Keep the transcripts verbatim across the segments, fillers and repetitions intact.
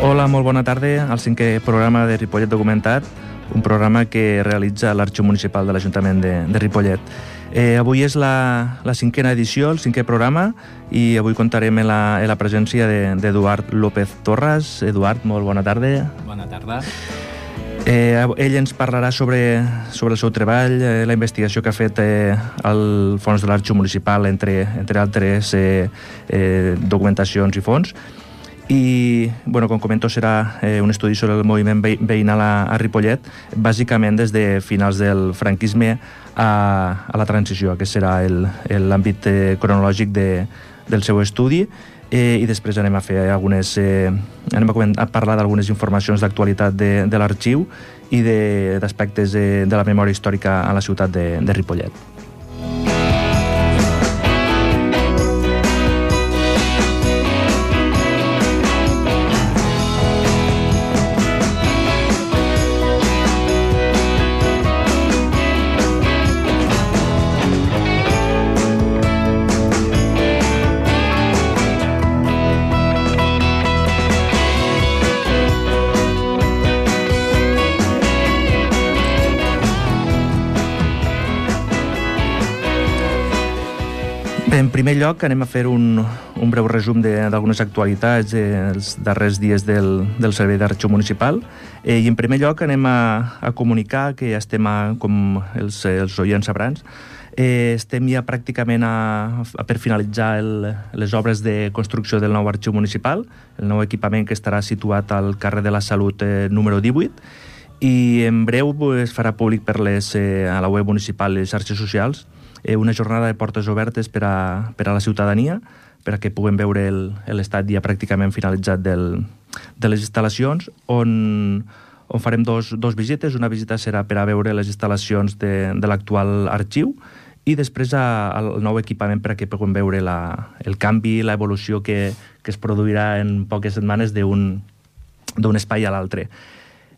Hola, molt bona tarda al cinquè programa de Ripollet Documentat, un programa que realitza l'Arxiu Municipal de l'Ajuntament de, de Ripollet. Eh, avui és la, la cinquena edició, el cinquè programa, i avui contarem en la, en la presència d'Eduard López Torras. Eduard, molt bona tarda. Bona tarda. Eh, ell ens parlarà sobre, sobre el seu treball, eh, la investigació que ha fet eh, al fons de l'Arxiu Municipal, entre, entre altres eh, eh, documentacions i fons. I, bueno, com comento, serà eh, un estudi sobre el moviment veïnal a, a Ripollet, bàsicament des de finals del franquisme a, a la transició. Aquest serà l'àmbit eh, cronològic de, del seu estudi. Eh, I després anem a fer algunes... Eh, anem a, comentar, a parlar d'algunes informacions d'actualitat de, de l'arxiu i d'aspectes de, de, de la memòria històrica a la ciutat de, de Ripollet. En primer lloc, anem a fer un, un breu resum d'algunes actualitats dels darrers dies del, del Servei d'Arxiu Municipal. Eh, I en primer lloc anem a, a comunicar que ja estem, a, com els, els oients sabran, eh, estem ja pràcticament a, a per finalitzar el, les obres de construcció del nou Arxiu Municipal, el nou equipament que estarà situat al carrer de la Salut eh, número divuit, i en breu es farà públic per les, eh, a la web municipal i les xarxes socials una jornada de portes obertes per a, per a la ciutadania, per a que puguem veure l'estat ja pràcticament finalitzat del, de les instal·lacions, on, on farem dos, dos visites. Una visita serà per a veure les instal·lacions de, de l'actual arxiu i després al nou equipament per a que puguem veure la, el canvi, l'evolució que, que es produirà en poques setmanes d'un espai a l'altre.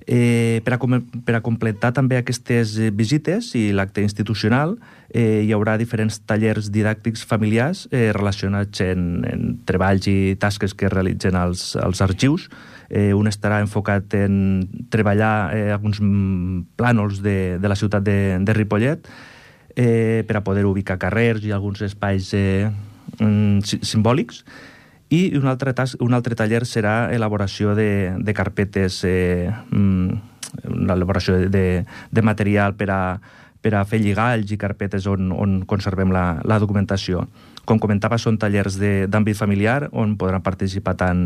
Eh, per, a, per a completar també aquestes visites i l'acte institucional eh, hi haurà diferents tallers didàctics familiars eh, relacionats en, en treballs i tasques que realitzen els, els arxius. Eh, un estarà enfocat en treballar eh, alguns plànols de, de la ciutat de, de Ripollet eh, per a poder ubicar carrers i alguns espais eh, simbòlics. I un altre, tas, un altre taller serà elaboració de, de carpetes, eh, una elaboració de, de material per a, per a fer lligalls i carpetes on, on conservem la, la documentació. Com comentava, són tallers d'àmbit familiar on podran participar tant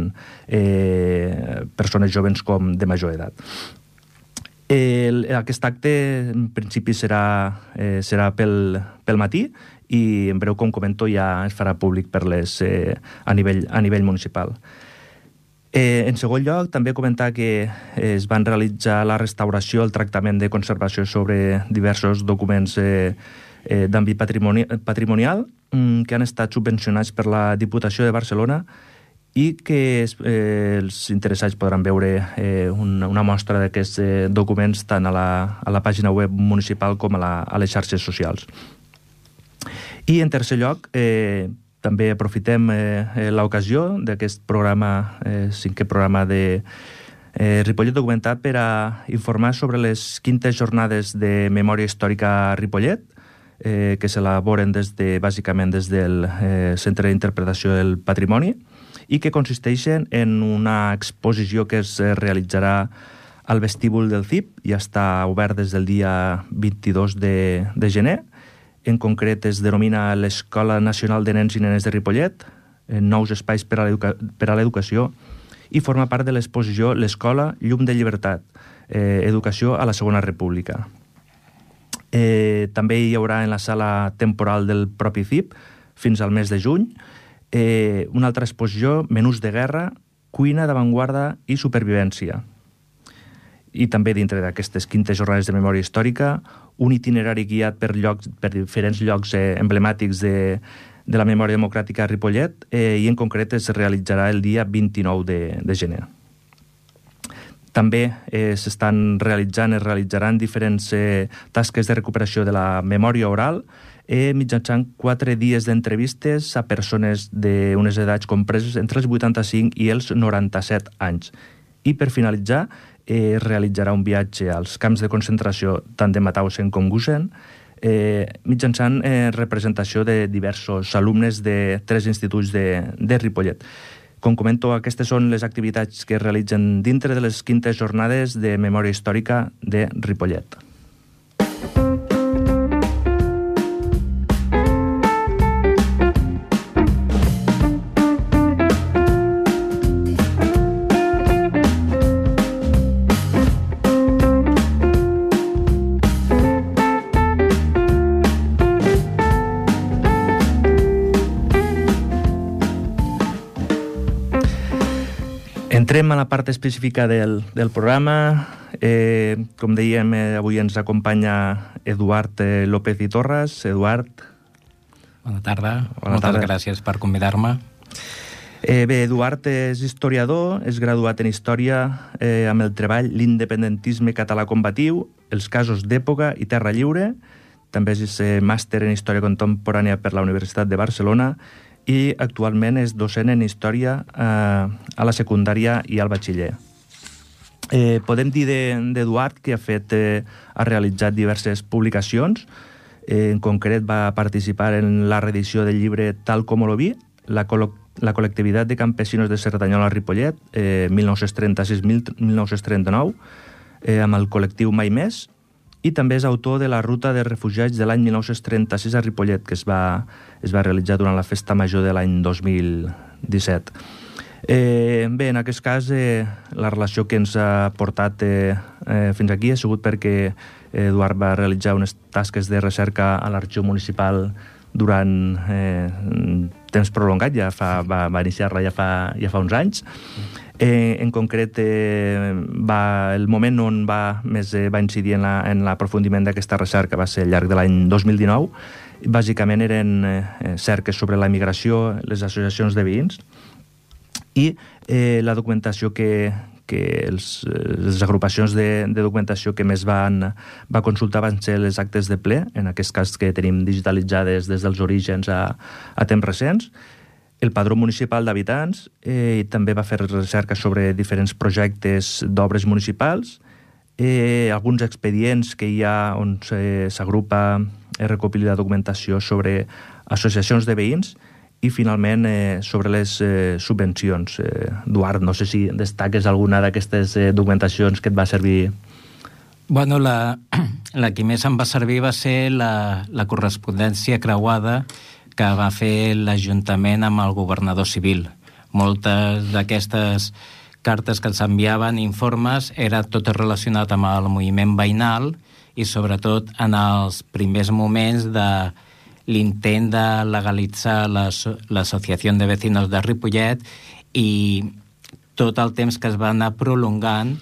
eh, persones joves com de major edat. El, aquest acte, en principi, serà, eh, serà pel, pel matí, i en breu, com comento, ja es farà públic per les, eh, a, nivell, a nivell municipal. Eh, en segon lloc, també comentar que es van realitzar la restauració, el tractament de conservació sobre diversos documents eh, eh, d'àmbit patrimoni patrimonial mm, que han estat subvencionats per la Diputació de Barcelona i que eh, els interessats podran veure eh, una, una mostra d'aquests eh, documents tant a la, a la pàgina web municipal com a, la, a les xarxes socials. I en tercer lloc, eh, també aprofitem eh, l'ocasió d'aquest programa, eh, cinquè programa de eh, Ripollet Documentat, per a informar sobre les quintes jornades de memòria històrica a Ripollet, eh, que s'elaboren des de, bàsicament des del eh, Centre d'Interpretació del Patrimoni i que consisteixen en una exposició que es realitzarà al vestíbul del C I P i està obert des del dia vint-i-dos de, de gener. En concret, es denomina l'Escola Nacional de Nens i Nenes de Ripollet, nous espais per a l'educació, i forma part de l'exposició L'Escola, Llum de Llibertat, eh, educació a la Segona República. Eh, també hi haurà en la sala temporal del propi C I P, fins al mes de juny, eh, una altra exposició, Menús de guerra, cuina d'avantguarda i supervivència. I també dintre d'aquestes quintes jornades de memòria històrica, un itinerari guiat per, llocs, per diferents llocs eh, emblemàtics de, de la memòria democràtica a Ripollet eh, i en concret es realitzarà el dia vint-i-nou de, de gener. També eh, s'estan realitzant, es realitzaran diferents eh, tasques de recuperació de la memòria oral eh, mitjançant quatre dies d'entrevistes a persones d'unes edats compreses entre els vuitanta-cinc i els noranta-set anys. I per finalitzar, eh, realitzarà un viatge als camps de concentració tant de Mauthausen com Gusen, eh, mitjançant eh, representació de diversos alumnes de tres instituts de, de Ripollet. Com comento, aquestes són les activitats que es realitzen dintre de les quintes jornades de memòria històrica de Ripollet. Entrem a la part específica del, del programa. Eh, com dèiem, eh, avui ens acompanya Eduard eh, López i Torres. Eduard. Bona tarda. Bona Moltes tarda. gràcies per convidar-me. Eh, bé, Eduard és historiador, és graduat en Història eh, amb el treball L'independentisme català combatiu, els casos d'època i Terra Lliure. També és eh, màster en Història Contemporània per la Universitat de Barcelona i actualment és docent en Història eh, a la secundària i al batxiller. Eh, podem dir d'Eduard que ha fet, eh, ha realitzat diverses publicacions. Eh, en concret va participar en la reedició del llibre Tal como lo vi, la, col la col·lectivitat de campesinos de Cerdanyola a Ripollet, eh, mil nou-cents trenta-sis a mil nou-cents trenta-nou, eh, amb el col·lectiu Mai Més, i també és autor de la Ruta de Refugiats de l'any mil nou-cents trenta-sis a Ripollet, que es va, es va realitzar durant la Festa Major de l'any dos mil disset. Eh, bé, en aquest cas, eh, la relació que ens ha portat eh, eh, fins aquí ha sigut perquè Eduard va realitzar unes tasques de recerca a l'Arxiu Municipal durant eh, temps prolongat, ja fa, va, va iniciar-la ja fa, ja fa uns anys. Eh, en concret, eh, va, el moment on va, més eh, va incidir en l'aprofundiment d'aquesta recerca va ser al llarg de l'any dos mil dinou. Bàsicament eren eh, cerques sobre la migració, les associacions de veïns i eh, la documentació que, que els, les agrupacions de, de documentació que més van, va consultar van ser les actes de ple, en aquest cas que tenim digitalitzades des dels orígens a, a temps recents, el Padró Municipal d'Habitants, eh, i també va fer recerca sobre diferents projectes d'obres municipals, eh, alguns expedients que hi ha on s'agrupa, es recopila la documentació sobre associacions de veïns i, finalment, eh, sobre les eh, subvencions. Eh, Eduard, no sé si destaques alguna d'aquestes eh, documentacions que et va servir. Bueno, la, la que més em va servir va ser la, la correspondència creuada que va fer l'Ajuntament amb el governador civil. Moltes d'aquestes cartes que ens enviaven, informes, era tot relacionat amb el moviment veïnal i sobretot en els primers moments de l'intent de legalitzar l'Associació de Vecinos de Ripollet i tot el temps que es va anar prolongant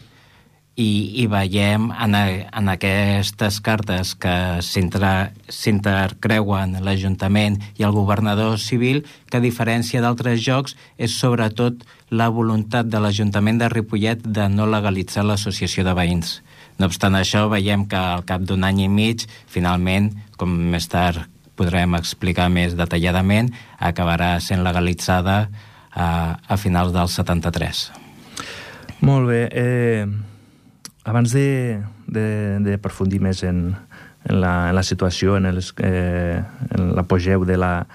i, i veiem en, a, en aquestes cartes que s'intercreuen l'Ajuntament i el governador civil que, a diferència d'altres jocs, és sobretot la voluntat de l'Ajuntament de Ripollet de no legalitzar l'associació de veïns. No obstant això, veiem que al cap d'un any i mig, finalment, com més tard podrem explicar més detalladament, acabarà sent legalitzada a, a finals del setanta-tres. Molt bé. Eh, abans de, de, de aprofundir més en, en, la, en la situació, en, els, eh, en l'apogeu de la,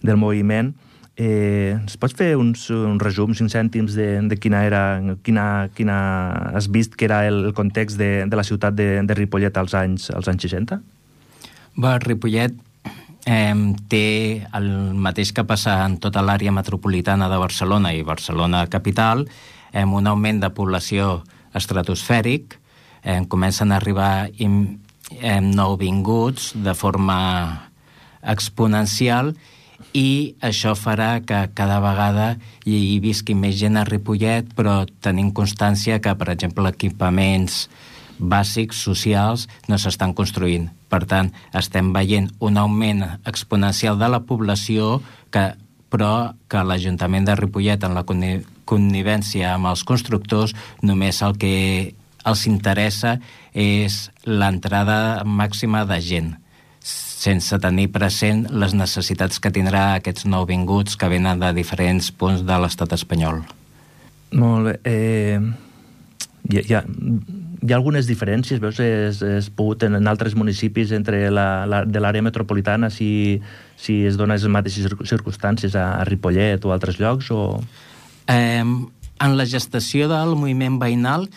del moviment, eh, ens pots fer uns, un resum, cinc cèntims, de, de quina era, quina, quina has vist que era el, el context de, de la ciutat de, de Ripollet als anys, als anys seixanta? Bé, Ripollet eh, té el mateix que passa en tota l'àrea metropolitana de Barcelona i Barcelona capital, eh, un augment de població estratosfèric, eh, comencen a arribar im, eh, nouvinguts de forma exponencial i això farà que cada vegada hi, hi visqui més gent a Ripollet, però tenim constància que, per exemple, equipaments bàsics, socials, no s'estan construint. Per tant, estem veient un augment exponencial de la població, que, però que l'Ajuntament de Ripollet, en la connivència amb els constructors, només el que els interessa és l'entrada màxima de gent, sense tenir present les necessitats que tindrà aquests nouvinguts que venen de diferents punts de l'estat espanyol. Molt bé. Eh, hi, hi, ha, hi ha algunes diferències, veus, es, es pogut en, en altres municipis entre la, la, de l'àrea metropolitana, si, si es donen les mateixes circumstàncies a, a Ripollet o altres llocs, o... Eh, en la gestació del moviment veïnal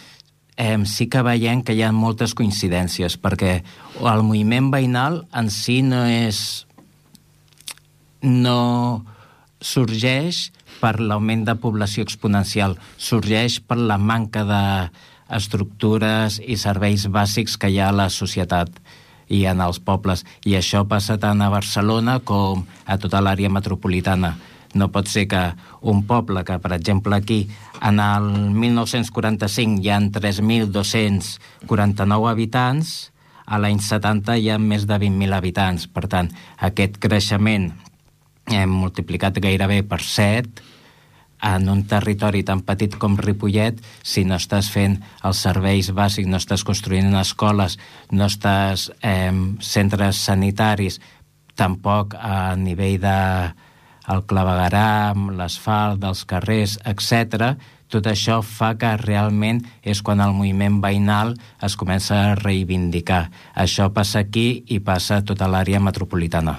eh, sí que veiem que hi ha moltes coincidències, perquè el moviment veïnal en si no és... no sorgeix per l'augment de població exponencial, sorgeix per la manca d'estructures i serveis bàsics que hi ha a la societat i en els pobles. I això passa tant a Barcelona com a tota l'àrea metropolitana. No pot ser que un poble que, per exemple, aquí, en el mil nou-cents quaranta-cinc hi ha tres mil dos-cents quaranta-nou habitants, a l'any setanta hi ha més de vint mil habitants. Per tant, aquest creixement hem multiplicat gairebé per set en un territori tan petit com Ripollet. Si no estàs fent els serveis bàsics, no estàs construint escoles, no estàs eh, centres sanitaris, tampoc a nivell de el clavegueram, l'asfalt dels carrers, etcètera, tot això fa que realment és quan el moviment veïnal es comença a reivindicar. Això passa aquí i passa a tota l'àrea metropolitana.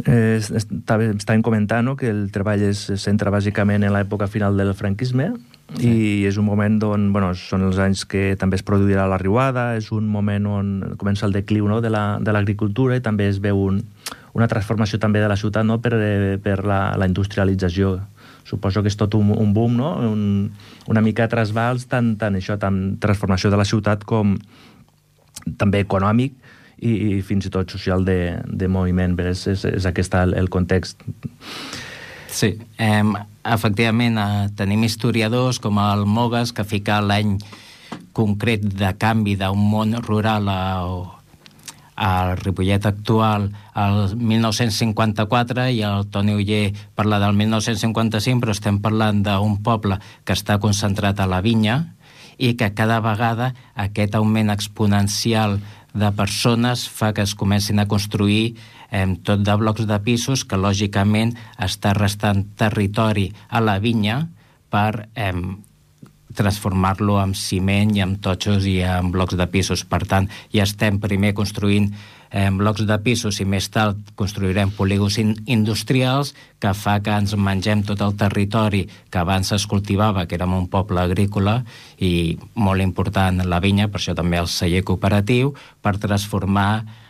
Eh, estàvem comentant, no?, que el treball es centra bàsicament en l'època final del franquisme, sí. I és un moment on, bueno, són els anys que també es produirà la riuada, és un moment on comença el decliu, no?, de la, de l'agricultura, i també es veu un, una transformació també de la ciutat, no?, per, per la, la industrialització. Suposo que és tot un, un boom, no?, un, una mica trasbals, tant, tant això, tant transformació de la ciutat com també econòmic, i, i fins i tot social de, de moviment. És, és, és aquest el, el context. Sí, eh, efectivament eh, tenim historiadors com el Mogas, que fica l'any concret de canvi d'un món rural a, al Ripollet actual al mil nou-cents cinquanta-quatre, i el Toni Oller parla del mil nou-cents cinquanta-cinc, però estem parlant d'un poble que està concentrat a la vinya i que cada vegada aquest augment exponencial de persones fa que es comencin a construir eh, tot de blocs de pisos, que lògicament està restant territori a la vinya per eh, transformar-lo en ciment i en totxos i en blocs de pisos. Per tant, ja estem primer construint eh, blocs de pisos i més tard construirem polígons in industrials, que fa que ens mengem tot el territori que abans es cultivava, que érem un poble agrícola i molt important la vinya, per això també el celler cooperatiu, per transformar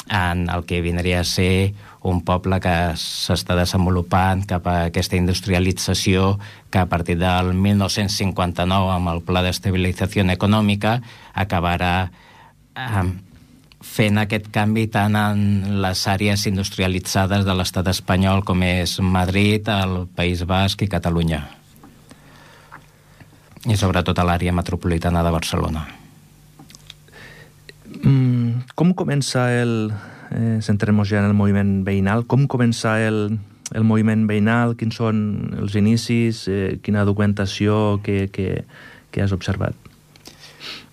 en el que vindria a ser un poble que s'està desenvolupant cap a aquesta industrialització, que a partir del mil nou-cents cinquanta-nou, amb el Pla d'Estabilització Econòmica, acabarà eh, fent aquest canvi tant en les àrees industrialitzades de l'estat espanyol com és Madrid, el País Basc i Catalunya. I sobretot a l'àrea metropolitana de Barcelona. Mm, com comença el... Eh, centrem-nos ja en el moviment veïnal. Com comença el, el moviment veïnal? Quins són els inicis? Eh, quina documentació que, que, que has observat?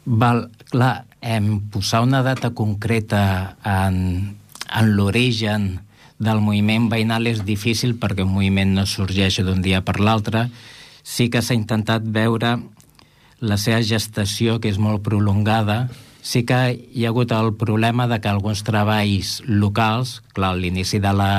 Val, clar, em, posar una data concreta en, en l'origen del moviment veïnal és difícil, perquè un moviment no sorgeix d'un dia per l'altre. Sí que s'ha intentat veure la seva gestació, que és molt prolongada. Sí que hi ha hagut el problema de que alguns treballs locals, clar, l'inici de la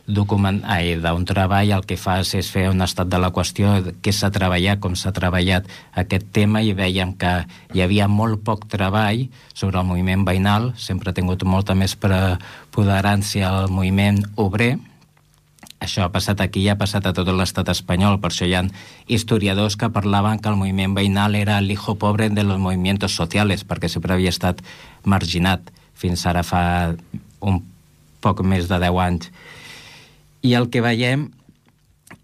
document... Ai, d'un treball el que fas és fer un estat de la qüestió, què s'ha treballat, com s'ha treballat aquest tema, i veiem que hi havia molt poc treball sobre el moviment veïnal. Sempre ha tingut molta més preponderància el moviment obrer. Això ha passat aquí i ha passat a tot l'estat espanyol. Per això hi ha historiadors que parlaven que el moviment veïnal era el hijo pobre de los movimientos sociales, perquè sempre havia estat marginat fins ara fa un poc més de deu anys. I el que veiem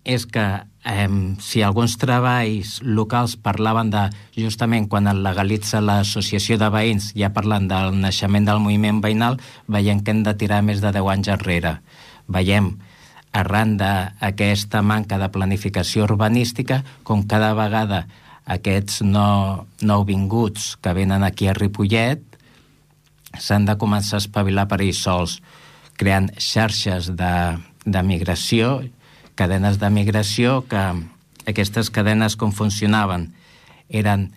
és que eh, si alguns treballs locals parlaven de, justament quan es legalitza l'associació de veïns, ja parlant del naixement del moviment veïnal, veiem que hem de tirar més de deu anys enrere. Veiem, arran d'aquesta manca de planificació urbanística, com cada vegada aquests no, nouvinguts que venen aquí a Ripollet s'han de començar a espavilar per ells sols, creant xarxes de, de migració, cadenes de migració, que aquestes cadenes com funcionaven? eren,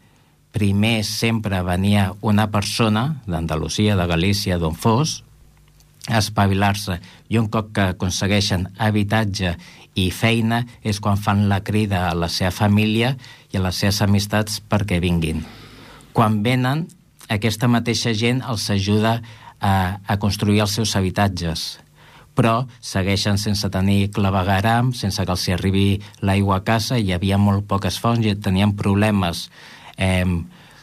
primer sempre venia una persona d'Andalusia, de Galícia, d'on fos, a espavilar-se, i un cop que aconsegueixen habitatge i feina és quan fan la crida a la seva família i a les seves amistats perquè vinguin. Quan venen, aquesta mateixa gent els ajuda a, a construir els seus habitatges, però segueixen sense tenir clavegueram, sense que els arribi l'aigua a casa, hi havia molt poques fonts i tenien problemes eh,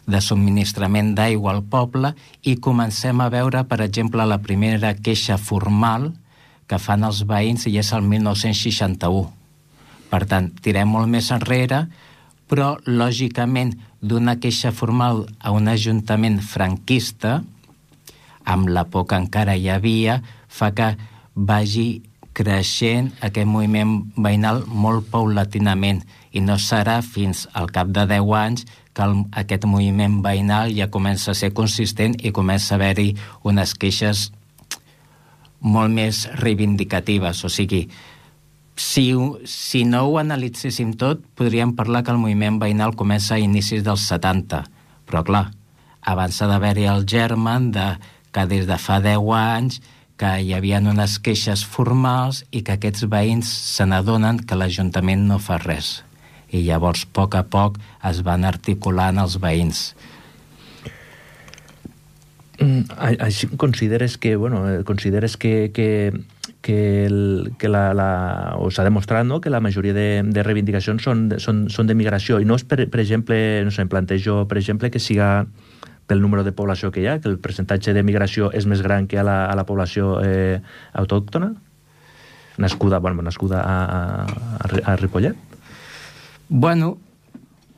de subministrament d'aigua al poble, i comencem a veure, per exemple, la primera queixa formal que fan els veïns, i és el mil nou-cents seixanta-u. Per tant, tirem molt més enrere, però, lògicament, d'una queixa formal a un ajuntament franquista, amb la por que encara hi havia, fa que vagi creixent aquest moviment veïnal molt paulatinament, i no serà fins al cap de deu anys que el, aquest moviment veïnal ja comença a ser consistent i comença a haver-hi unes queixes molt més reivindicatives. O sigui, si, si no ho analitzéssim tot, podríem parlar que el moviment veïnal comença a inicis dels setanta, però clar, abans ha d'haver-hi el germen de que des de fa deu anys que hi havia unes queixes formals i que aquests veïns se n'adonen que l'Ajuntament no fa res. I llavors, a poc a poc, es van articulant els veïns. Mm, així consideres que, bueno, consideres que, que, que, el, que la, la, o s'ha demostrat, no?, que la majoria de, de reivindicacions són, són, són de migració, i no és, per, per exemple, no sé, em plantejo, per exemple, que siga pel número de població que hi ha, que el percentatge de migració és més gran que a la, a la població eh, autòctona, nascuda, bueno, nascuda a, a, a Ripollet? Bueno...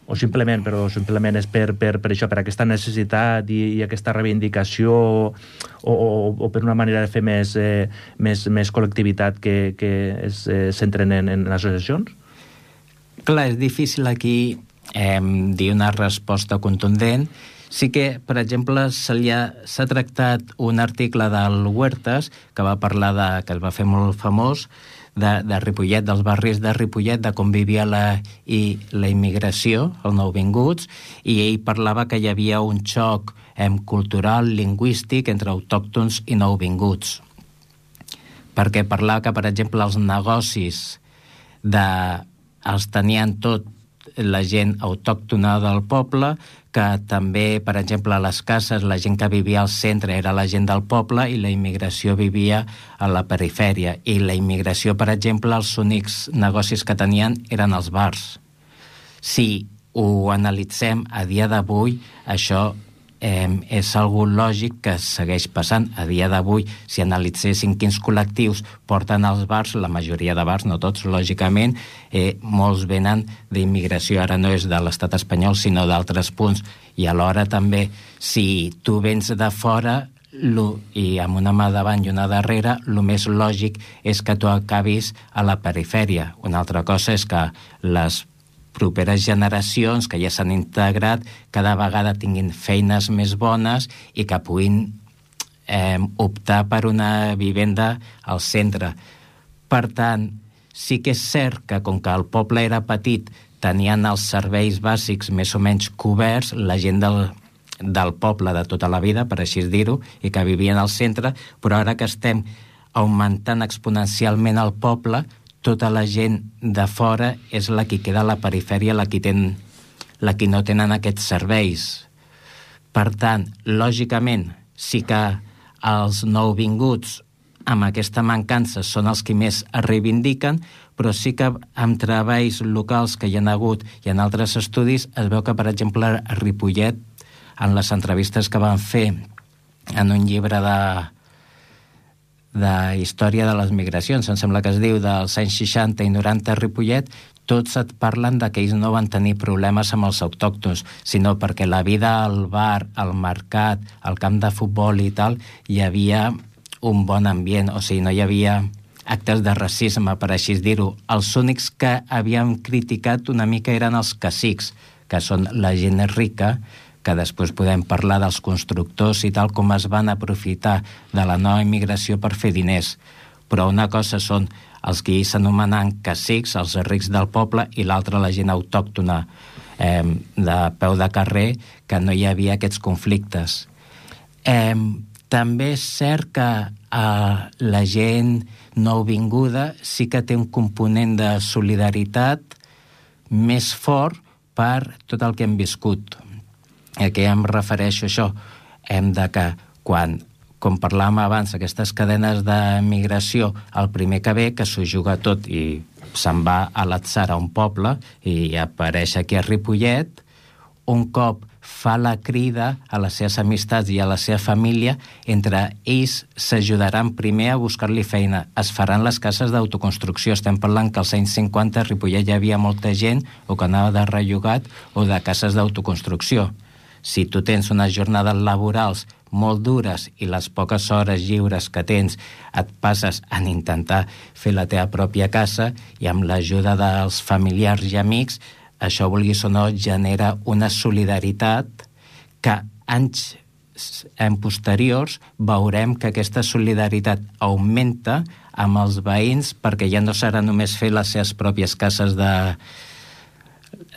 O simplement, però simplement és per, per, per això, per aquesta necessitat i, i aquesta reivindicació, o, o, o per una manera de fer més, eh, més, més col·lectivitat que, que es eh, centren en, en associacions? Clar, és difícil aquí eh, dir una resposta contundent. Sí que, per exemple, s'ha tractat un article del Huertas que va parlar de, que es va fer molt famós, de, de Ripollet, dels barris de Ripollet, de com vivia la, i, la immigració, els nouvinguts, i ell parlava que hi havia un xoc eh, cultural, lingüístic, entre autòctons i nouvinguts. Perquè parlava que, per exemple, els negocis de, els tenien tot la gent autòctona del poble, que també, per exemple, a les cases, la gent que vivia al centre era la gent del poble i la immigració vivia a la perifèria. I la immigració, per exemple, els únics negocis que tenien eren els bars. Si ho analitzem a dia d'avui, això eh, és algo lògic que segueix passant. A dia d'avui, si analitzéssim quins col·lectius porten als bars, la majoria de bars, no tots, lògicament, eh, molts venen d'immigració, ara no és de l'estat espanyol, sinó d'altres punts. I alhora també, si tu vens de fora, lo, i amb una mà davant i una darrere, el més lògic és que tu acabis a la perifèria. Una altra cosa és que les properes generacions que ja s'han integrat cada vegada tinguin feines més bones i que puguin eh, optar per una vivenda al centre. Per tant, sí que és cert que com que el poble era petit tenien els serveis bàsics més o menys coberts, la gent del, del poble de tota la vida, per així dir-ho, i que vivien al centre, però ara que estem augmentant exponencialment el poble, tota la gent de fora és la que queda a la perifèria, la que, ten, la que no tenen aquests serveis. Per tant, lògicament, sí que els nouvinguts amb aquesta mancança són els que més es reivindiquen, però sí que amb treballs locals que hi ha hagut i en altres estudis es veu que, per exemple, a Ripollet, en les entrevistes que van fer en un llibre de de història de les migracions, em sembla que es diu dels anys seixanta i noranta a Ripollet, tots et parlen de que ells no van tenir problemes amb els autòctons, sinó perquè la vida al bar, al mercat, al camp de futbol i tal, hi havia un bon ambient, o sigui, no hi havia actes de racisme, per així dir-ho. Els únics que havien criticat una mica eren els cacics, que són la gent rica, que després podem parlar dels constructors i tal, com es van aprofitar de la nova immigració per fer diners. Però una cosa són els que s'anomenen cacics, els rics del poble, i l'altra la gent autòctona. eh, de peu de carrer, que no hi havia aquests conflictes. Eh, també és cert que eh, la gent nouvinguda sí que té un component de solidaritat més fort per tot el que hem viscut. A què em refereixo això? Hem de que quan, com parlàvem abans, aquestes cadenes de migració, el primer que ve, que s'ho juga tot i se'n va a l'Atzar, a un poble, i apareix aquí a Ripollet, un cop fa la crida a les seves amistats i a la seva família, entre ells s'ajudaran primer a buscar-li feina. Es faran les cases d'autoconstrucció. Estem parlant que als anys cinquanta a Ripollet hi havia molta gent o que anava de rellogat o de cases d'autoconstrucció. Si tu tens unes jornades laborals molt dures i les poques hores lliures que tens et passes en intentar fer la teva pròpia casa, i amb l'ajuda dels familiars i amics, això, vulguis o no, genera una solidaritat que anys en posteriors veurem que aquesta solidaritat augmenta amb els veïns, perquè ja no serà només fer les seves pròpies cases de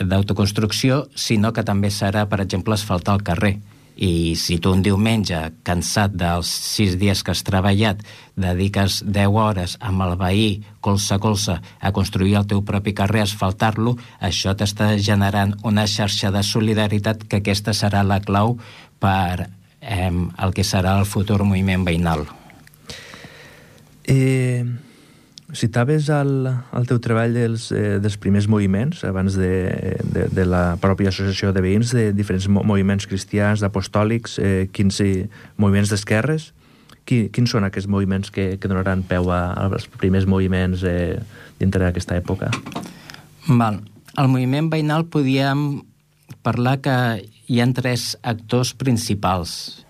d'autoconstrucció, sinó que també serà, per exemple, asfaltar el carrer. I si tu un diumenge, cansat dels sis dies que has treballat, dediques deu hores amb el veí, colze a colze, a construir el teu propi carrer, asfaltar-lo, això t'està generant una xarxa de solidaritat, que aquesta serà la clau per eh, el que serà el futur moviment veïnal. Eh... Citaves el, el teu treball dels, eh, dels primers moviments, abans de, de, de la pròpia associació de veïns, de diferents moviments cristians, apostòlics, eh, quins eh, moviments d'esquerres. Qui, quins són aquests moviments que, que donaran peu a, als primers moviments eh, dintre d'aquesta època? Val. El moviment veïnal podíem parlar que hi ha tres actors principals.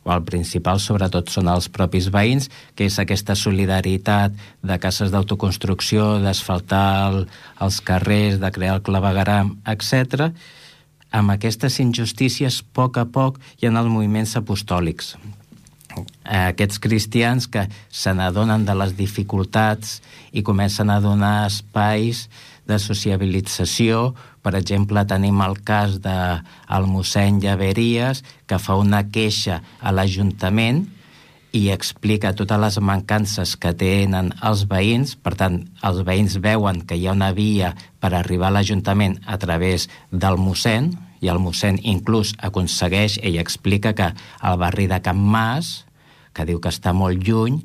El principal, sobretot, són els propis veïns, que és aquesta solidaritat de cases d'autoconstrucció, d'asfaltar el, els carrers, de crear el clavegueram, etcètera. Amb aquestes injustícies, a poc a poc, hi ha els moviments apostòlics. Aquests cristians que se n'adonen de les dificultats i comencen a donar espais de sociabilització. Per exemple, tenim el cas del mossèn Llaveries, que fa una queixa a l'Ajuntament i explica totes les mancances que tenen els veïns. Per tant, els veïns veuen que hi ha una via per arribar a l'Ajuntament a través del mossèn, i el mossèn inclús aconsegueix, ell explica que el barri de Can Mas, que diu que està molt lluny,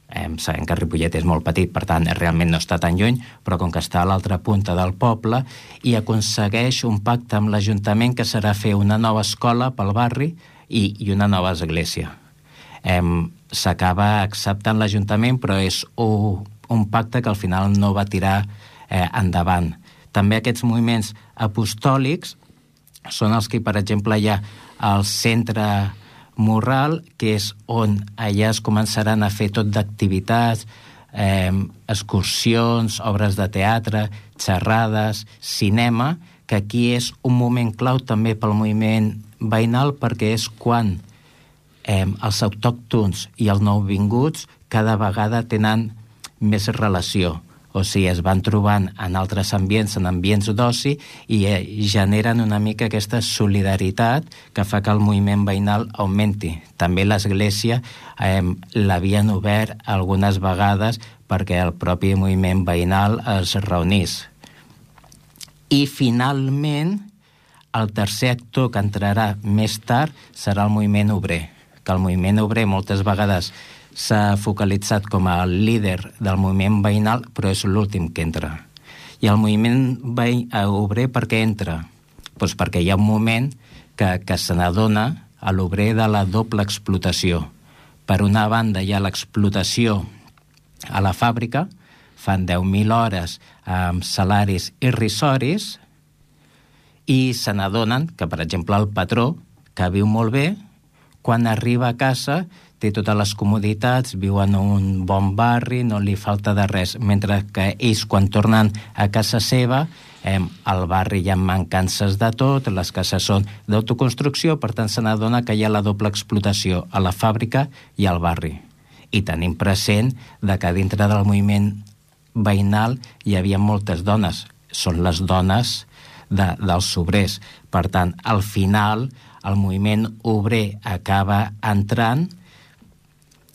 Eh, sabem que Ripollet és molt petit, per tant realment no està tan lluny, però com que està a l'altra punta del poble, i aconsegueix un pacte amb l'Ajuntament que serà fer una nova escola pel barri i, i una nova església. Eh, s'acaba acceptant l'Ajuntament, però és un, un pacte que al final no va tirar eh, endavant. També aquests moviments apostòlics són els que, per exemple, hi ha al centre Morral, que és on allà es començaran a fer tot d'activitats, eh, excursions, obres de teatre, xerrades, cinema, que aquí és un moment clau també pel moviment veïnal, perquè és quan eh, els autòctons i els nouvinguts cada vegada tenen més relació. O sigui, es van trobant en altres ambients, en ambients d'oci, i eh, generen una mica aquesta solidaritat que fa que el moviment veïnal augmenti. També l'Església eh, l'havien obert algunes vegades perquè el propi moviment veïnal es reunís. I finalment, el tercer actor que entrarà més tard serà el moviment obrer, que el moviment obrer moltes vegades s'ha focalitzat com a líder del moviment veïnal, però és l'últim que entra. I el moviment veí, obrer per què entra? Pues perquè hi ha un moment que, que se n'adona a l'obrer de la doble explotació. Per una banda hi ha l'explotació a la fàbrica, fan deu mil hores amb salaris irrisoris, i se n'adonen que, per exemple, el patró, que viu molt bé, quan arriba a casa té totes les comoditats, viu en un bon barri, no li falta de res, mentre que ells, quan tornen a casa seva, eh, al barri hi ha mancances de tot, les cases són d'autoconstrucció, per tant se n'adona que hi ha la doble explotació a la fàbrica i al barri. I tenim present de que dintre del moviment veïnal hi havia moltes dones. Són les dones de, dels obrers. Per tant, al final, el moviment obrer acaba entrant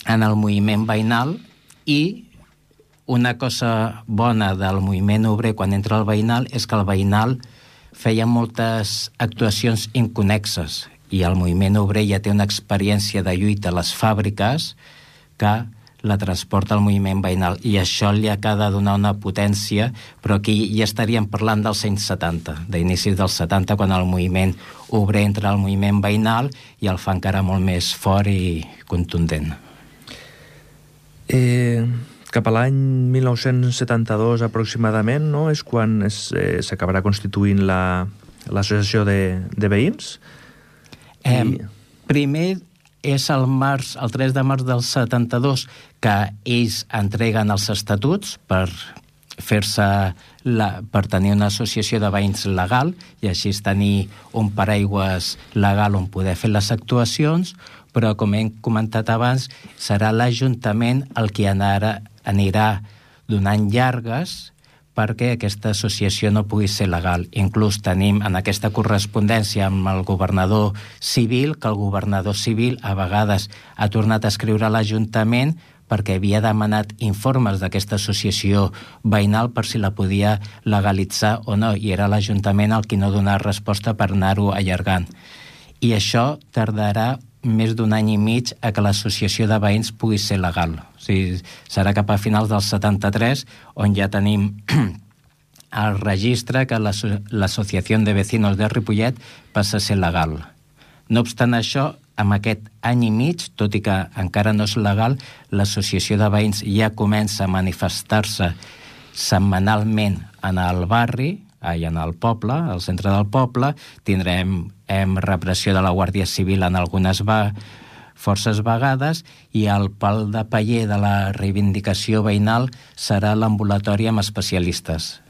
en el moviment veïnal i una cosa bona del moviment obrer quan entra al veïnal és que el veïnal feia moltes actuacions inconnexes i el moviment obrer ja té una experiència de lluita a les fàbriques que la transporta al moviment veïnal i això li acaba de donar una potència, però aquí ja estaríem parlant dels anys setanta, d'inicis dels setanta, quan el moviment obrer entra al moviment veïnal i el fa encara molt més fort i contundent. Eh... Cap a l'any mil nou-cents setanta-dos aproximadament, no?, és quan s'acabarà eh, constituint l'associació la, de, de veïns. Eh, I... Primer és el març, el tres de març del setanta-dos, que ells entreguen els estatuts per fer-se la, per tenir una associació de veïns legal i així tenir un paraigües legal on poder fer les actuacions, però com hem comentat abans, serà l'Ajuntament el que anara, anirà donant llargues perquè aquesta associació no pugui ser legal. Inclús tenim en aquesta correspondència amb el governador civil, que el governador civil a vegades ha tornat a escriure a l'Ajuntament perquè havia demanat informes d'aquesta associació veïnal per si la podia legalitzar o no, i era l'Ajuntament el qui no donava resposta per anar-ho allargant. I això tardarà més d'un any i mig a que l'associació de veïns pugui ser legal. O sigui, serà cap a finals del setanta-tres on ja tenim el registre que l'Associació de Vecinos de Ripollet passa a ser legal. No obstant això, amb aquest any i mig, tot i que encara no és legal, l'associació de veïns ja comença a manifestar-se setmanalment en el barri, i en el poble, al centre del poble. Tindrem hem, repressió de la Guàrdia Civil en algunes va, forces vegades i el pal de paller de la reivindicació veïnal serà l'ambulatori amb especialistes.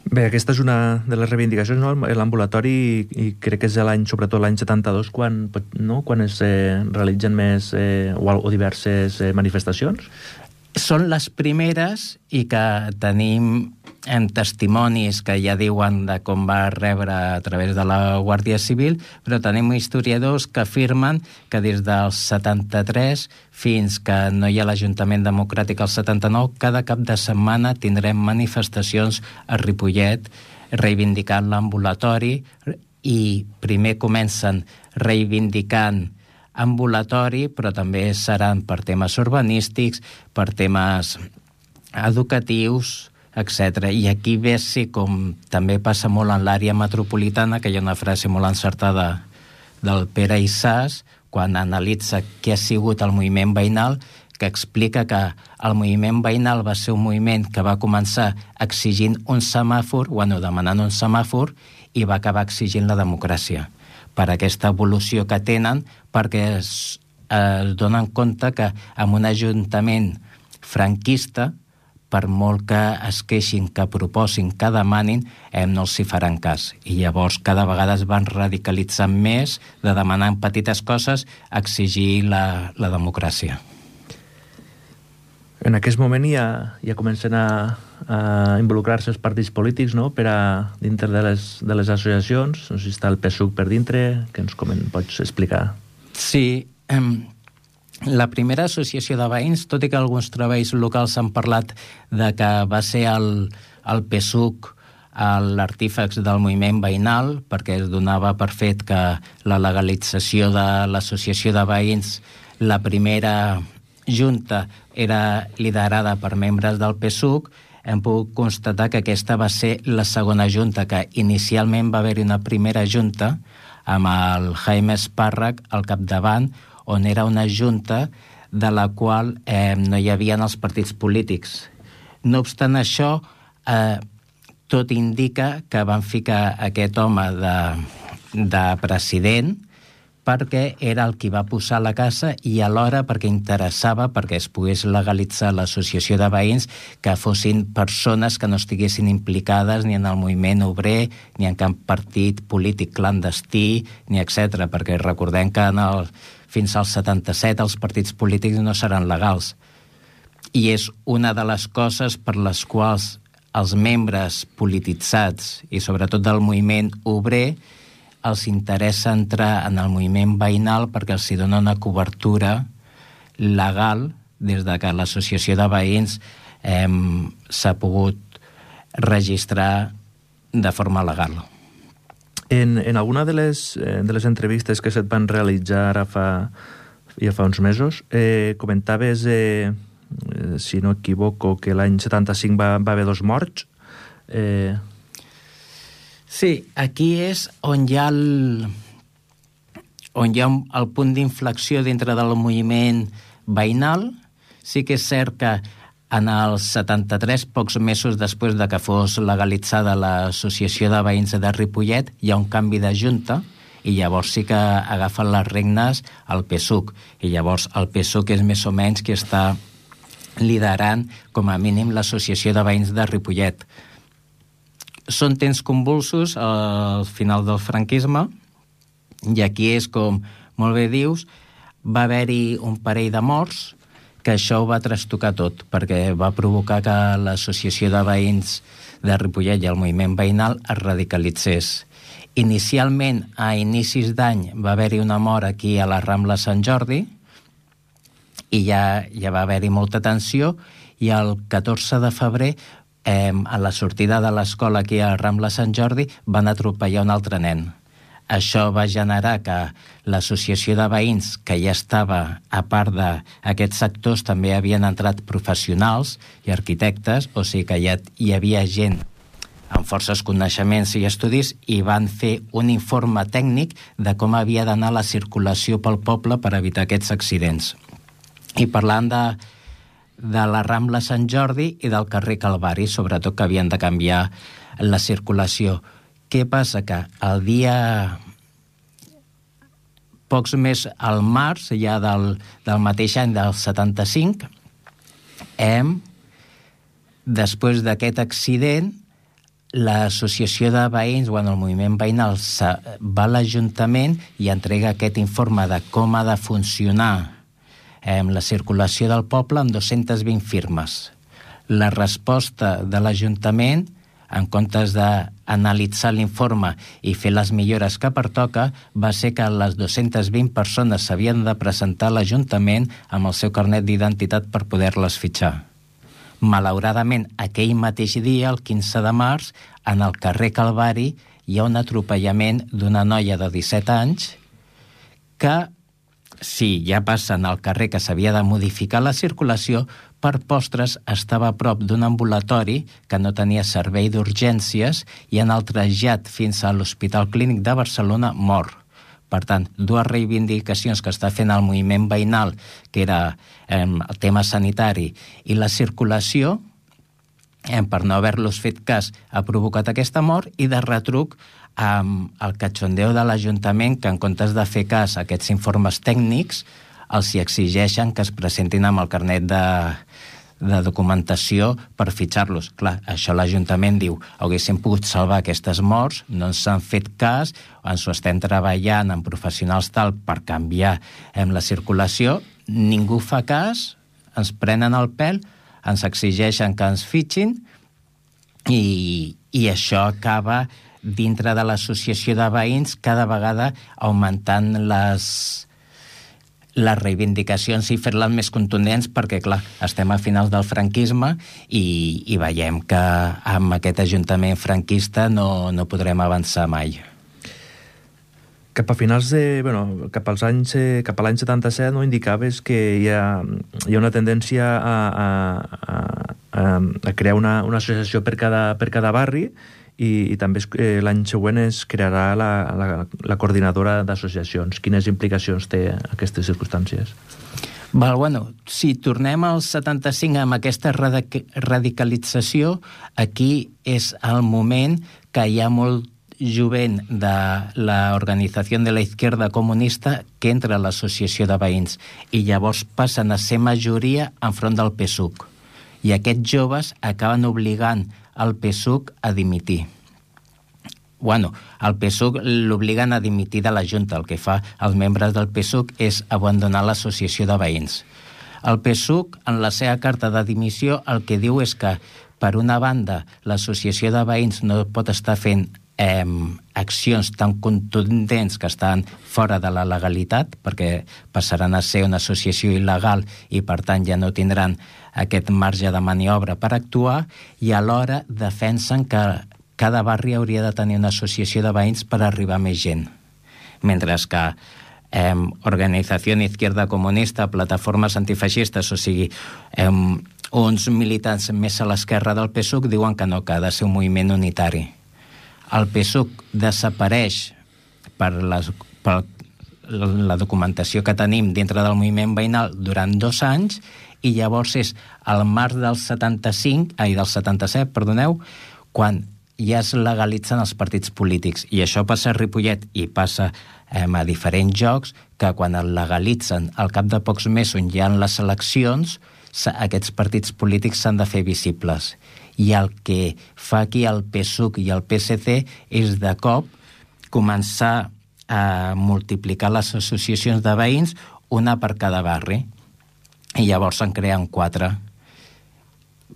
Bé, aquesta és una de les reivindicacions, no? L'ambulatori, i crec que és l'any, sobretot l'any setanta-dos, quan, no? quan es eh, realitzen més eh, o, o diverses eh, manifestacions. Són les primeres i que tenim en testimonis que ja diuen de com va rebre a través de la Guàrdia Civil, però tenim historiadors que afirmen que des del setanta-tres fins que no hi ha l'Ajuntament Democràtic al setanta-nou, cada cap de setmana tindrem manifestacions a Ripollet reivindicant l'ambulatori i primer comencen reivindicant ambulatori, però també seran per temes urbanístics, per temes educatius, etcètera. I aquí ve ser com també passa molt en l'àrea metropolitana, que hi ha una frase molt encertada del Pere Issàs, quan analitza què ha sigut el moviment veïnal, que explica que el moviment veïnal va ser un moviment que va començar exigint un semàfor, bueno, demanant un semàfor, i va acabar exigint la democràcia per aquesta evolució que tenen, perquè es, es donen compte que en un ajuntament franquista, per molt que es queixin, que proposin, que demanin, eh, no els hi faran cas. I llavors cada vegada es van radicalitzant més de demanar en petites coses exigir la, la democràcia. En aquest moment ja, ja comencen a, a involucrar-se els partits polítics, no?, per a dintre de les, de les associacions. No sé si està el P S U C per dintre, que ens comen, pots explicar? Sí, eh, la primera associació de veïns, tot i que alguns treballs locals han parlat de que va ser el, el P S U C l'artífex del moviment veïnal, perquè es donava per fet que la legalització de l'associació de veïns, la primera junta era liderada per membres del P S U C, hem pogut constatar que aquesta va ser la segona junta, que inicialment va haver-hi una primera junta amb el Jaime Espàrrec al capdavant, on era una junta de la qual eh, no hi havia els partits polítics. No obstant això, eh, tot indica que van ficar aquest home de, de president perquè era el qui va posar la casa i alhora perquè interessava perquè es pogués legalitzar l'associació de veïns, que fossin persones que no estiguessin implicades ni en el moviment obrer, ni en cap partit polític clandestí, ni etcètera, perquè recordem que en el, fins al setanta-set els partits polítics no seran legals. I és una de les coses per les quals els membres polititzats i sobretot del moviment obrer els interessa entrar en el moviment veïnal perquè els hi dona una cobertura legal des de que l'associació de veïns eh, s'ha pogut registrar de forma legal. En, en alguna de les, de les entrevistes que se't van realitzar ara fa, ja fa uns mesos, eh, comentaves, eh, si no equivoco, que l'any setanta-cinc va, va haver dos morts. Eh... Sí, aquí és on hi ha el, on hi ha el punt d'inflexió dintre del moviment veïnal. Sí que és cert que en el setanta-tres, pocs mesos després de que fos legalitzada l'Associació de Veïns de Ripollet, hi ha un canvi de junta i llavors sí que agafen les regnes el P SUC. I llavors el P SUC és més o menys qui està liderant com a mínim l'Associació de Veïns de Ripollet. Són temps convulsos al final del franquisme i aquí és com molt bé dius, va haver-hi un parell de morts que això ho va trastocar tot, perquè va provocar que l'Associació de Veïns de Ripollet i el moviment veïnal es radicalitzés. Inicialment, a inicis d'any, va haver-hi una mort aquí a la Rambla Sant Jordi i ja, ja va haver-hi molta tensió i el catorze de febrer, eh, a la sortida de l'escola aquí a la Rambla Sant Jordi, van atropellar un altre nen. Això va generar que l'associació de veïns, que ja estava a part d'aquests sectors, també havien entrat professionals i arquitectes, o sigui que ja hi havia gent amb forces coneixements i estudis i van fer un informe tècnic de com havia d'anar la circulació pel poble per evitar aquests accidents. I parlant de, de la Rambla Sant Jordi i del carrer Calvari, sobretot que havien de canviar la circulació. Què passa? Que el dia, pocs més al març, ja del, del mateix any del setanta-cinc, hem, després d'aquest accident, l'associació de veïns, bueno, el moviment veïnal va a l'Ajuntament i entrega aquest informe de com ha de funcionar eh, la circulació del poble amb dues-centes vint firmes. La resposta de l'Ajuntament, en comptes d'analitzar l'informe i fer les millores que pertoca, va ser que les dues-centes vint persones s'havien de presentar a l'Ajuntament amb el seu carnet d'identitat per poder-les fitxar. Malauradament, aquell mateix dia, el quinze de març, en el carrer Calvari, hi ha un atropellament d'una noia de disset anys que, sí, ja passa en el carrer que s'havia de modificar la circulació, per postres estava a prop d'un ambulatori que no tenia servei d'urgències i en el trasllat fins a l'Hospital Clínic de Barcelona mor. Per tant, dues reivindicacions que està fent el moviment veïnal, que era eh, el tema sanitari i la circulació, eh, per no haver-los fet cas, ha provocat aquesta mort i de retruc amb eh, el catxondeo de l'Ajuntament, que en comptes de fer cas a aquests informes tècnics, els hi exigeixen que es presentin amb el carnet de, de documentació per fitxar-los. Clar, això l'Ajuntament diu, haguéssim pogut salvar aquestes morts, no ens han fet cas, ens ho estem treballant amb professionals tal per canviar eh, la circulació, ningú fa cas, ens prenen el pèl, ens exigeixen que ens fitxin i, i això acaba dintre de l'associació de veïns cada vegada augmentant les... les reivindicacions i fer-les més contundents perquè, clar, estem a finals del franquisme i, i veiem que amb aquest ajuntament franquista no, no podrem avançar mai. Cap a finals de... Bueno, cap als anys... Cap a l'any setanta-set, no, indicaves que hi ha, hi ha una tendència a, a, a, a crear una, una associació per cada, per cada barri i, i també eh, l'any següent es crearà la, la, la coordinadora d'associacions. Quines implicacions té aquestes circumstàncies? Val, bueno, si tornem al setanta-cinc amb aquesta radicalització, aquí és el moment que hi ha molt jovent de l'Organització de la Izquierda Comunista que entra a l'associació de veïns i llavors passen a ser majoria enfront del P SUC. I aquests joves acaben obligant el P SUC a dimitir. Bueno, el P SUC l'obliguen a dimitir de la Junta. El que fa els membres del P SUC és abandonar l'associació de veïns. El P SUC, en la seva carta de dimissió, el que diu és que per una banda, l'associació de veïns no pot estar fent eh, accions tan contundents que estan fora de la legalitat, perquè passaran a ser una associació il·legal i, per tant, ja no tindran aquest marge de maniobra per actuar, i alhora defensen que cada barri hauria de tenir una associació de veïns per arribar a més gent. Mentre que eh, Organizació Izquierda Comunista, plataformes antifeixistes, o sigui, eh, uns militants més a l'esquerra del P S U C diuen que no, que ha de ser un moviment unitari. El P S U C desapareix per, les, per la documentació que tenim dintre del moviment veïnal durant dos anys, i llavors és al març del setanta-cinc, ai, del setanta-set, perdoneu, quan ja es legalitzen els partits polítics. I això passa a Ripollet i passa eh, a diferents llocs, que quan el legalitzen al cap de pocs mesos on hi ha les eleccions, aquests partits polítics s'han de fer visibles. I el que fa aquí el P S U C i el P S C és de cop començar a multiplicar les associacions de veïns, una per cada barri. I llavors se'n creen quatre,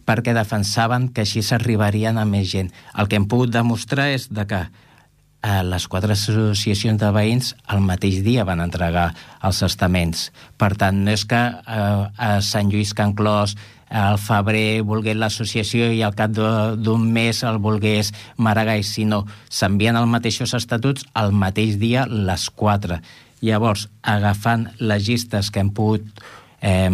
perquè defensaven que així s'arribarien a més gent. El que hem pogut demostrar és de que eh, les quatre associacions de veïns al mateix dia van entregar els estaments. Per tant, no és que eh, a Sant Lluís Can Clos al febrer volgués l'associació i al cap d'un mes el volgués Maragall, sinó s'envien els mateixos estatuts al mateix dia les quatre. Llavors, agafant les llistes que hem pogut eh,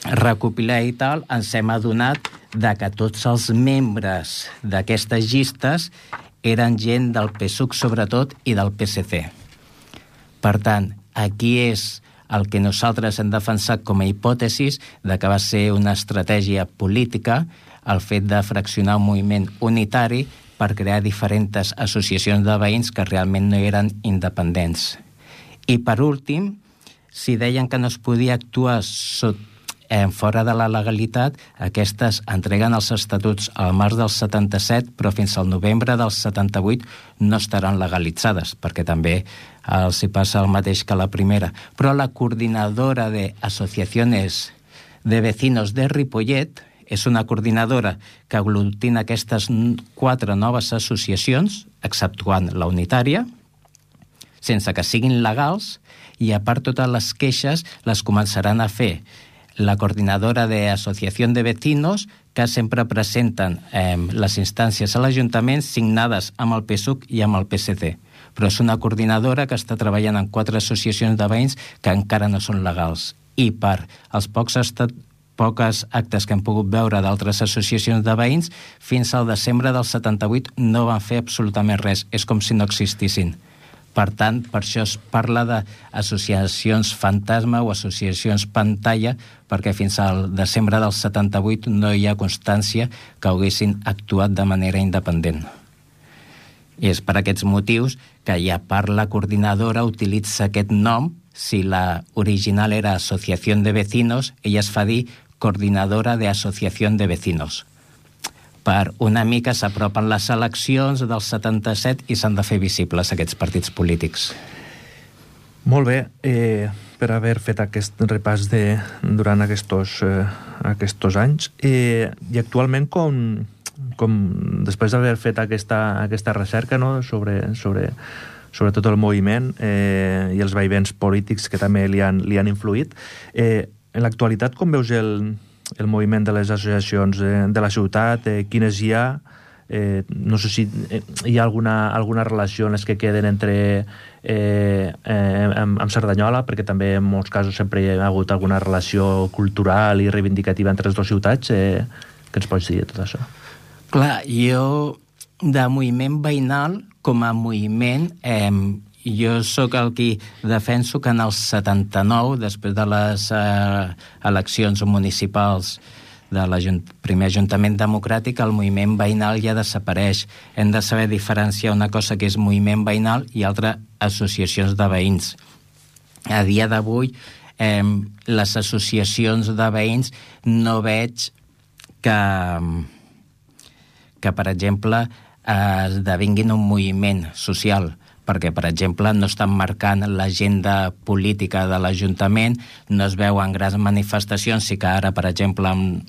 recopilar i tal, ens hem adonat de que tots els membres d'aquestes llistes eren gent del P S U C sobretot i del P S C. Per tant, aquí és el que nosaltres hem defensat com a hipòtesis de que va ser una estratègia política el fet de fraccionar un moviment unitari per crear diferents associacions de veïns que realment no eren independents. I per últim, si deien que no es podia actuar sot, eh, fora de la legalitat, aquestes entreguen els estatuts al març del setanta-set, però fins al novembre del setanta-vuit no estaran legalitzades, perquè també els hi passa el mateix que la primera. Però la coordinadora de Asociaciones de Vecinos de Ripollet és una coordinadora que aglutina aquestes quatre noves associacions, exceptuant la unitària, sense que siguin legals, i a part totes les queixes les començaran a fer la coordinadora de Asociació de Vecinos, que sempre presenten eh, les instàncies a l'Ajuntament signades amb el P S U C i amb el P S C. Però és una coordinadora que està treballant en quatre associacions de veïns que encara no són legals. I per els pocs estat poques actes que hem pogut veure d'altres associacions de veïns, fins al desembre del setanta-vuit no van fer absolutament res. És com si no existissin. Per tant, per això es parla d'associacions fantasma o associacions pantalla, perquè fins al desembre del setanta-vuit no hi ha constància que haguessin actuat de manera independent. I és per aquests motius que ja part la coordinadora utilitza aquest nom. Si la original era Asociación de Vecinos, ella es fa dir Coordinadora de Asociación de Vecinos. Per una mica s'apropen les eleccions del setanta-set i s'han de fer visibles aquests partits polítics. Molt bé, eh, per haver fet aquest repàs de, durant aquests, eh, aquests anys. Eh, I actualment, com, com després d'haver fet aquesta, aquesta recerca, no, sobre, sobre, sobre tot el moviment eh, i els vaivens polítics que també li han, li han influït, eh, en l'actualitat com veus el... el moviment de les associacions de, de la ciutat, eh, quines hi ha, eh, no sé si hi ha alguna, alguna relació en les que queden entre eh, eh, amb, amb Cerdanyola, perquè també en molts casos sempre hi ha hagut alguna relació cultural i reivindicativa entre les dues ciutats. Eh, què ens pots dir de tot això? Clar, jo de moviment veïnal com a moviment eh, jo sóc el qui defenso que en el setanta-nou, després de les eh, eleccions municipals del primer Ajuntament Democràtic, el moviment veïnal ja desapareix. Hem de saber diferenciar una cosa que és moviment veïnal i altra associacions de veïns. A dia d'avui, eh, les associacions de veïns no veig que, que per exemple, esdevinguin un moviment social, perquè, per exemple, no estan marcant l'agenda política de l'Ajuntament, no es veuen grans manifestacions, sí que ara, per exemple, amb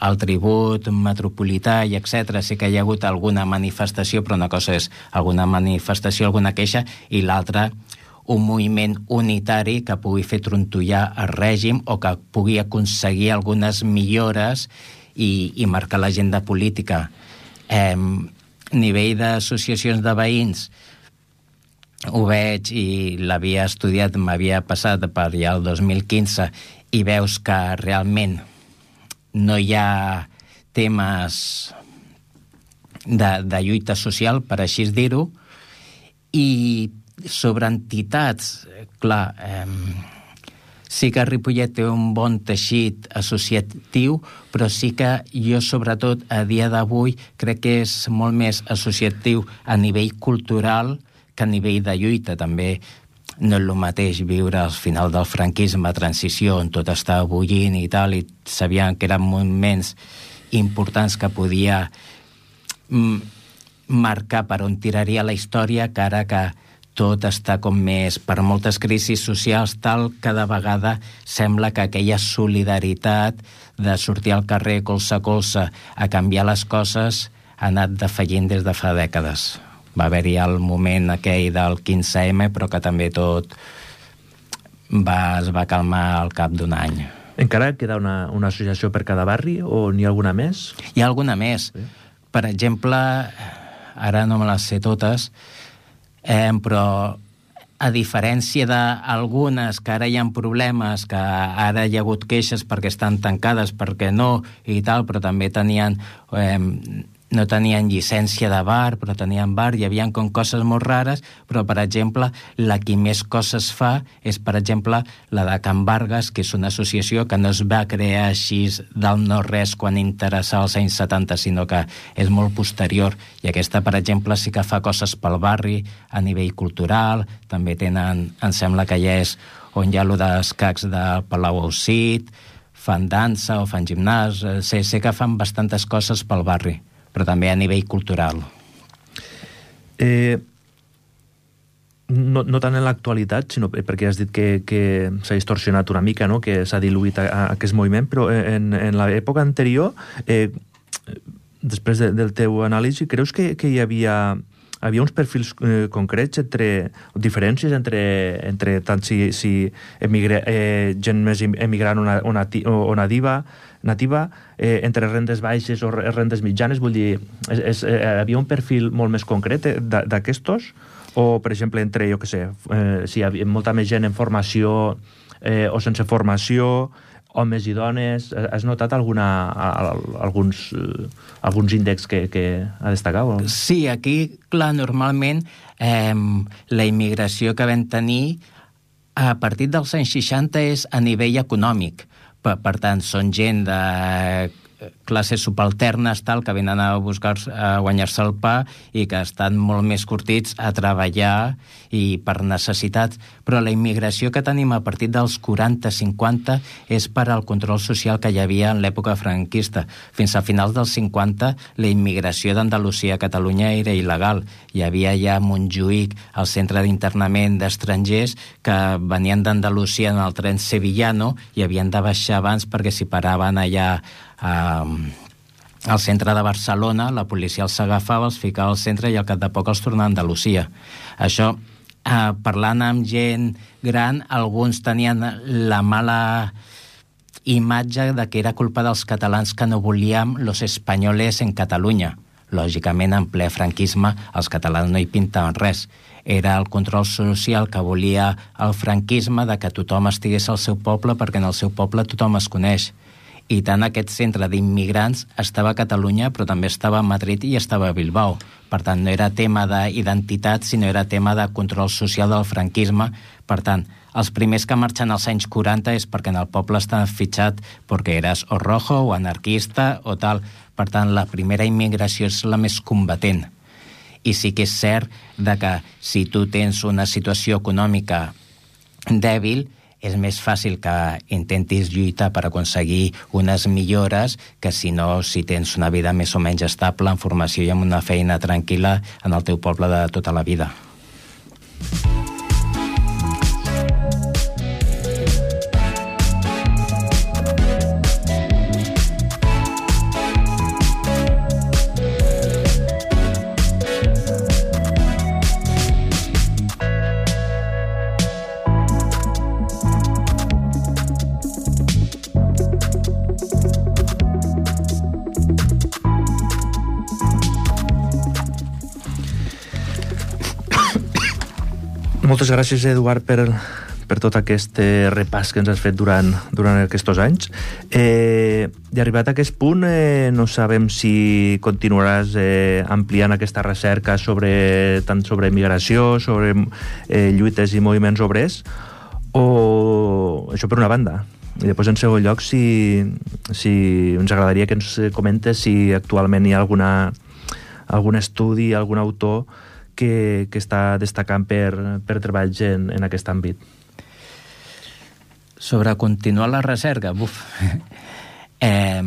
el tribut metropolità i etcètera. Sí que hi ha hagut alguna manifestació, però una cosa és alguna manifestació, alguna queixa, i l'altra un moviment unitari que pugui fer trontollar el règim o que pugui aconseguir algunes millores i, i marcar l'agenda política. Eh, nivell d'associacions de veïns, ho veig i l'havia estudiat, m'havia passat per allà el dos mil quinze, i veus que realment no hi ha temes de, de lluita social, per així dir-ho, i sobre entitats, clar, eh, sí que Ripollet té un bon teixit associatiu, però sí que jo, sobretot, a dia d'avui, crec que és molt més associatiu a nivell cultural que a nivell de lluita. També no és el mateix viure al final del franquisme, transició, on tot estava bullint i tal, i sabien que eren moments importants que podia mm, marcar per on tiraria la història, que ara que tot està com més, per moltes crisis socials, tal, cada vegada sembla que aquella solidaritat de sortir al carrer colze a colze a canviar les coses ha anat defallint des de fa dècades. Va haver-hi el moment aquell del quinze eme, però que també tot va, es va calmar al cap d'un any. Encara queda una, una associació per cada barri o n'hi ha alguna més? Hi ha alguna més. Sí. Per exemple, ara no me les sé totes, eh, però a diferència d'algunes que ara hi ha problemes, que ara hi ha hagut queixes perquè estan tancades, perquè no, i tal, però també tenien... Eh, no tenien llicència de bar, però tenien bar, hi havia com coses molt rares, però, per exemple, la que més coses fa és, per exemple, la de Can Vargas, que és una associació que no es va crear així del no-res quan interessava als anys setanta, sinó que és molt posterior. I aquesta, per exemple, sí que fa coses pel barri, a nivell cultural, també tenen, em sembla que ja és on hi ha allò d'escacs de Palau Aucit, fan dansa o fan gimnàs, sé, sé que fan bastantes coses pel barri, però també a nivell cultural. Eh, no, no tant en l'actualitat, sinó perquè has dit que, que s'ha distorsionat una mica, no? Que s'ha diluït a, a aquest moviment, però en, en l'època anterior, eh, després de, del teu anàlisi, creus que, que hi havia, havia uns perfils eh, concrets, entre diferències entre, entre tant si, si emigre, eh, gent més emigrant o, o, nati, o, o nativa, nativa, eh, entre rendes baixes o rendes mitjanes, vull dir, és, és, eh, havia un perfil molt més concret d'aquestos? O, per exemple, entre, jo què sé, eh, si hi havia molta més gent en formació eh, o sense formació, homes i dones, has notat alguna, alguns, alguns índexs que, que ha destacat? O? Sí, aquí, clar, normalment eh, la immigració que vam tenir a partir dels anys seixanta és a nivell econòmic. Per, per tant, són gent de classes subalternes, tal, que venen a buscar a guanyar-se el pa i que estan molt més curtits a treballar i per necessitats. Però la immigració que tenim a partir dels quaranta cinquanta és per al control social que hi havia en l'època franquista. Fins a finals dels cinquanta, la immigració d'Andalusia a Catalunya era il·legal. Hi havia ja a Montjuïc el centre d'internament d'estrangers que venien d'Andalusia en el tren sevillano i havien de baixar abans perquè si paraven allà Uh, al centre de Barcelona, la policia els agafava, els ficava al centre i al cap de poc els tornava a Andalusia. Això, uh, parlant amb gent gran, alguns tenien la mala imatge de que era culpa dels catalans que no volíem los españoles en Catalunya. Lògicament, en ple franquisme, els catalans no hi pintaven res. Era el control social que volia el franquisme de que tothom estigués al seu poble perquè en el seu poble tothom es coneix. I tant aquest centre d'immigrants estava a Catalunya, però també estava a Madrid i estava a Bilbao. Per tant, no era tema d'identitat, sinó era tema de control social del franquisme. Per tant, els primers que marxen als anys quaranta és perquè en el poble estan fitxat perquè eres o rojo o anarquista o tal. Per tant, la primera immigració és la més combatent. I sí que és cert de que si tu tens una situació econòmica dèbil, és més fàcil que intentis lluitar per aconseguir unes millores que si no, si tens una vida més o menys estable, en formació i amb una feina tranquil·la en el teu poble de tota la vida. Moltes gràcies, Eduard, per, per tot aquest repàs que ens has fet durant, durant aquests anys. Eh, I arribat a aquest punt, eh, no sabem si continuaràs eh, ampliant aquesta recerca sobre, tant sobre migració, sobre eh, lluites i moviments obrers, o això per una banda. I després, en segon lloc, si, si ens agradaria que ens comentes si actualment hi ha alguna, algun estudi, algun autor que, que està destacant per, per treballs en, en aquest àmbit. Sobre continuar la recerca, buf. eh,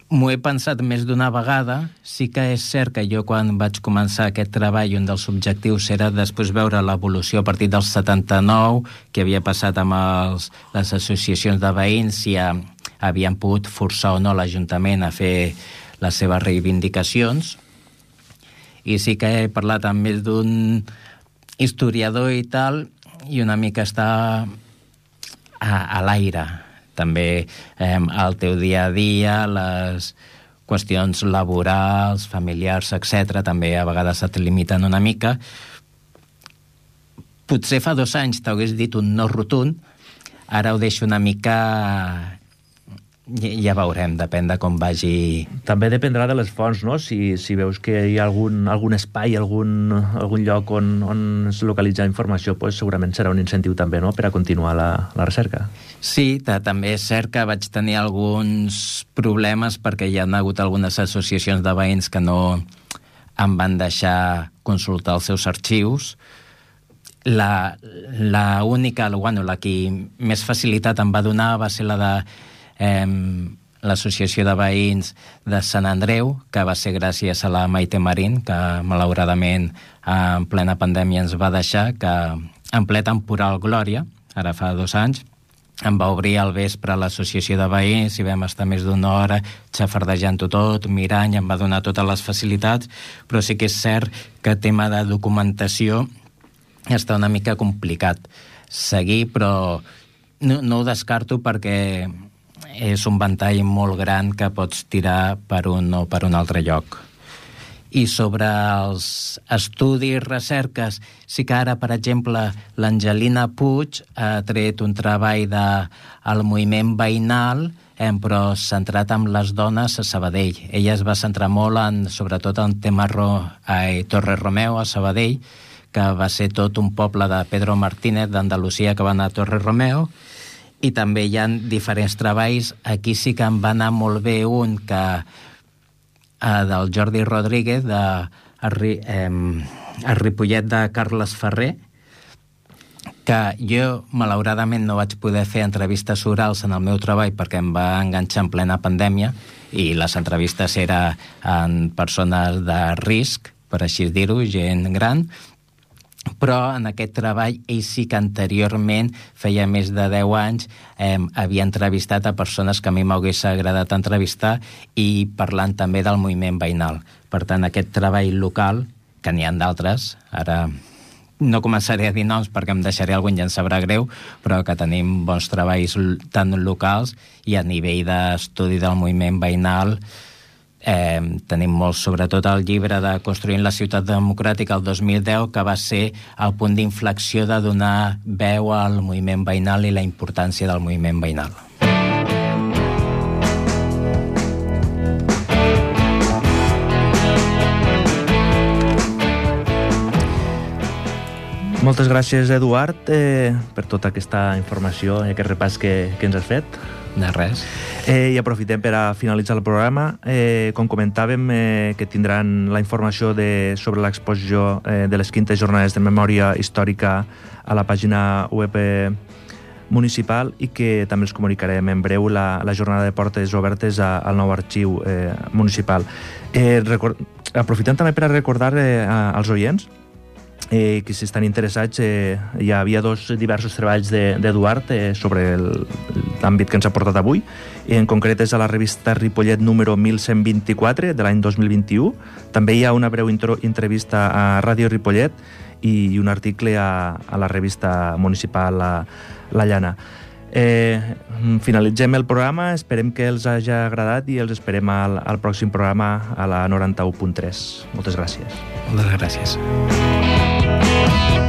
M'ho he pensat més d'una vegada. Sí que és cert que jo, quan vaig començar aquest treball, un dels objectius era després veure l'evolució a partir del setanta-nou, que havia passat amb els, les associacions de veïns, si ha, havien pogut forçar o no l'Ajuntament a fer les seves reivindicacions. I sí que he parlat amb més d'un historiador i tal, i una mica està a, a l'aire. També eh, el teu dia a dia, les qüestions laborals, familiars, etcètera, també a vegades et limiten una mica. Potser fa dos anys t'hagués dit un no rotund, ara ho deixo una mica... Ja veurem, depèn de com vagi... També dependrà de les fonts, no? Si, si veus que hi ha algun, algun espai, algun, algun lloc on, on es localitza informació, pues segurament serà un incentiu també, no?, per a continuar la, la recerca. Sí, també és cert que vaig tenir alguns problemes perquè hi ha hagut algunes associacions de veïns que no em van deixar consultar els seus arxius. La, la única, bueno, la que més facilitat em va donar va ser la de Eh, l'associació de veïns de Sant Andreu, que va ser gràcies a la Maite Marín, que malauradament en plena pandèmia ens va deixar, que en ple temporal Glòria, ara fa dos anys, em va obrir al vespre a l'associació de veïns i vam estar més d'una hora xafardejant-ho tot, mirant, i em va donar totes les facilitats, però sí que és cert que el tema de documentació està una mica complicat seguir, però no, no ho descarto perquè és un ventall molt gran que pots tirar per un o per un altre lloc. I sobre els estudis, recerques, sí que ara, per exemple, l'Angelina Puig ha tret un treball del moviment veïnal, eh, però centrat en les dones a Sabadell. Ella es va centrar molt en, sobretot en tema Ro, eh, Torre Romeu, a Sabadell, que va ser tot un poble de Pedro Martínez d'Andalusia que va anar a Torre Romeu. I també hi ha diferents treballs. Aquí sí que em va anar molt bé un que eh, del Jordi Rodríguez, de el, eh, el Ripollet de Carles Ferrer, que jo malauradament no vaig poder fer entrevistes orals en el meu treball perquè em va enganxar en plena pandèmia, i les entrevistes eren en persones de risc, per així dir-ho, gent gran. Però en aquest treball ell sí que anteriorment, feia més de deu anys, eh, havia entrevistat a persones que a mi m'hagués agradat entrevistar, i parlant també del moviment veïnal. Per tant, aquest treball local, que n'hi ha d'altres, ara no començaré a dir noms perquè em deixaré algú i ja em sabrà greu, però que tenim bons treballs tant locals i a nivell d'estudi del moviment veïnal. Eh, tenim molt, sobretot el llibre de Construint la ciutat democràtica el dos mil deu, que va ser el punt d'inflexió de donar veu al moviment veïnal i la importància del moviment veïnal. Moltes gràcies, Eduard, eh, per tota aquesta informació i aquest repàs que, que ens has fet. De res. Eh, I aprofitem per a finalitzar el programa. Eh, com comentàvem, eh, que tindran la informació de, sobre l'exposició eh, de les quintes jornades de memòria històrica a la pàgina web eh, municipal, i que també els comunicarem en breu la, la jornada de portes obertes a, al nou arxiu eh, municipal. Eh, record... Aprofitem també per a recordar eh, als oients Eh, que si estan interessats, eh, hi havia dos diversos treballs d'Eduard de, eh, sobre l'àmbit que ens ha portat avui. En concret és a la revista Ripollet número mil cent vint-i-quatre de l'any dos mil vint-i-u. També hi ha una breu intro, entrevista a Ràdio Ripollet i, i un article a, a la revista municipal La, la Llana. Eh, finalitzem el programa, esperem que els hagi agradat i els esperem al, al pròxim programa a la noranta-u punt tres. Moltes gràcies. Moltes gràcies. Thank you.